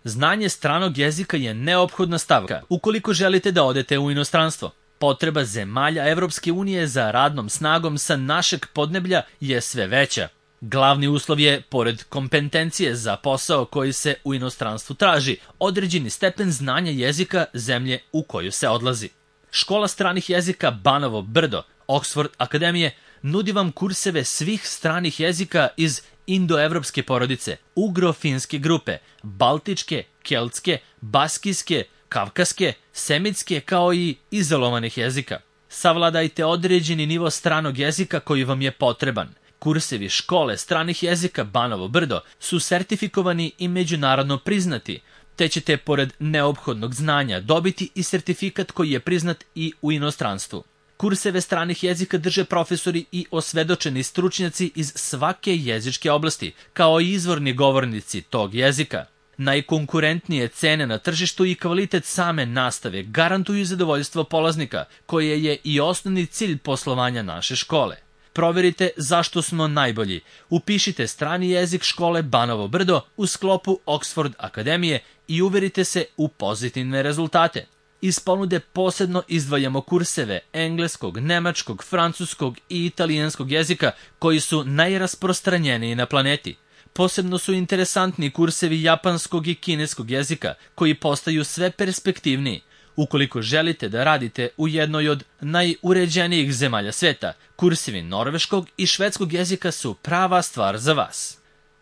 Znanje stranog jezika je neophodna stavka ukoliko želite da odete u inostranstvo. Potreba zemalja Evropske unije za radnom snagom sa našeg podneblja je sve veća. Glavni uslov je, pored kompetencije za posao koji se u inostranstvu traži, određeni stepen znanja jezika zemlje u koju se odlazi. Škola stranih jezika Banovo Brdo, Oxford Akademije, nudi vam kurseve svih stranih jezika iz indoevropske porodice, ugro-finske grupe, baltičke, keltske, baskijske, kavkaske, semitske kao i izolovanih jezika. Savladajte određeni nivo stranog jezika koji vam je potreban. Kursevi škole stranih jezika Banovo Brdo su sertifikovani i međunarodno priznati, te ćete pored neophodnog znanja dobiti i sertifikat koji je priznat i u inostranstvu. Kurseve stranih jezika drže profesori i osvedočeni stručnjaci iz svake jezičke oblasti, kao i izvorni govornici tog jezika. Najkonkurentnije cene na tržištu i kvalitet same nastave garantuju zadovoljstvo polaznika, koje je i osnovni cilj poslovanja naše škole. Proverite zašto smo najbolji. Upišite strani jezik škole Banovo Brdo u sklopu Oxford Akademije i uverite se u pozitivne rezultate. Iz ponude posebno izdvajamo kurseve engleskog, nemačkog, francuskog i italijanskog jezika koji su najrasprostranjeniji na planeti. Posebno su interesantni kursevi japanskog i kineskog jezika koji postaju sve perspektivniji. Ukoliko želite da radite u jednoj od najuređenijih zemalja sveta, kursevi norveškog i švedskog jezika su prava stvar za vas.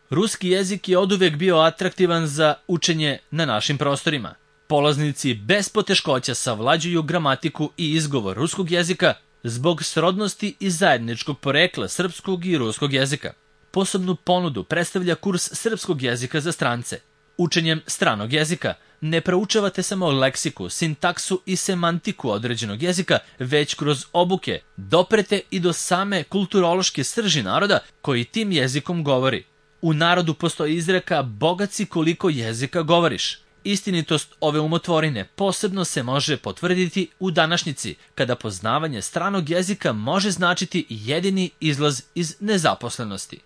Ruski jezik je oduvek bio atraktivan za učenje na našim prostorima. Polaznici bez poteškoća savlađuju gramatiku i izgovor ruskog jezika zbog srodnosti i zajedničkog porekla srpskog i ruskog jezika. Posebnu ponudu predstavlja kurs srpskog jezika za strance. Učenjem stranog jezika ne proučavate samo leksiku, sintaksu i semantiku određenog jezika, već kroz obuke doprete i do same kulturološke srži naroda koji tim jezikom govori. U narodu postoji izreka "bogat si koliko jezika govoriš". Istinitost ove umotvorine posebno se može potvrditi u današnjici, kada poznavanje stranog jezika može značiti jedini izlaz iz nezaposlenosti.